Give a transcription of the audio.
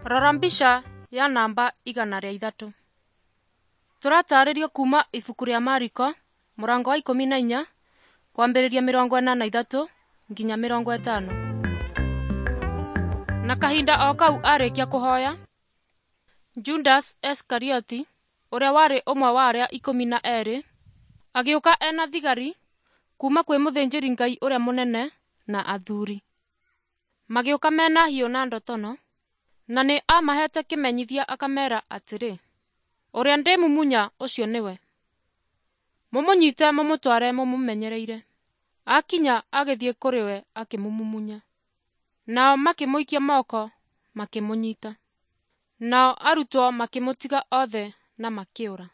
Rora mbica ya namba 103. Tũratarĩrio kuma ibuku rĩa Mariko mũrango wa 14 kwambĩrĩria 43 nginya 50. Na kahinda o kau arĩkia kũhoya, Judas Iskarioti, ũrĩa warĩ ũmwe wa arĩa 12, agĩũka ena thigari kuma kwĩ mũthĩnjĩri Ngai ũrĩa mũnene na athuri. Magĩũka mena hiũ na ndotono, na nĩ aamahete kĩmenyithia akamera atĩrĩ, ũrĩa ndĩmumunya ũcio nĩwe. Mũmũnyite mũmũtware mũmũmenyereire. Akinya agĩthiĩ kũrĩ we akĩmũmumunya. Nao makĩmũikia moko makĩmũnyita. Nao arutwo makĩmũtiga othe na makĩũra.